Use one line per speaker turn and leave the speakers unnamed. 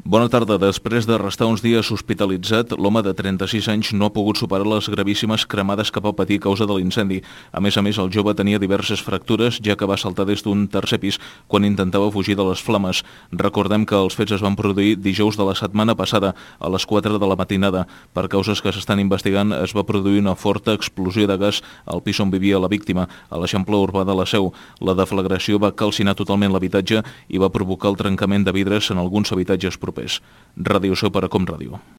Bona tarda. Després de restar uns dies hospitalitzat, l'home de 36 anys no ha pogut superar les gravíssimes cremades que va patir a causa de l'incendi. A més, el jove tenia diverses fractures, ja que va saltar des d'un tercer pis quan intentava fugir de les flames. Recordem que els fets es van produir dijous de la setmana passada, a les 4 de la matinada. Per causes que s'estan investigant, es va produir una forta explosió de gas al pis on vivia la víctima, a l'Eixample urbà de la Seu. La deflagració va calcinar totalment l'habitatge i va provocar el trencament de vidres en alguns habitatges propers. Ràdio Seu per a Com Ràdio.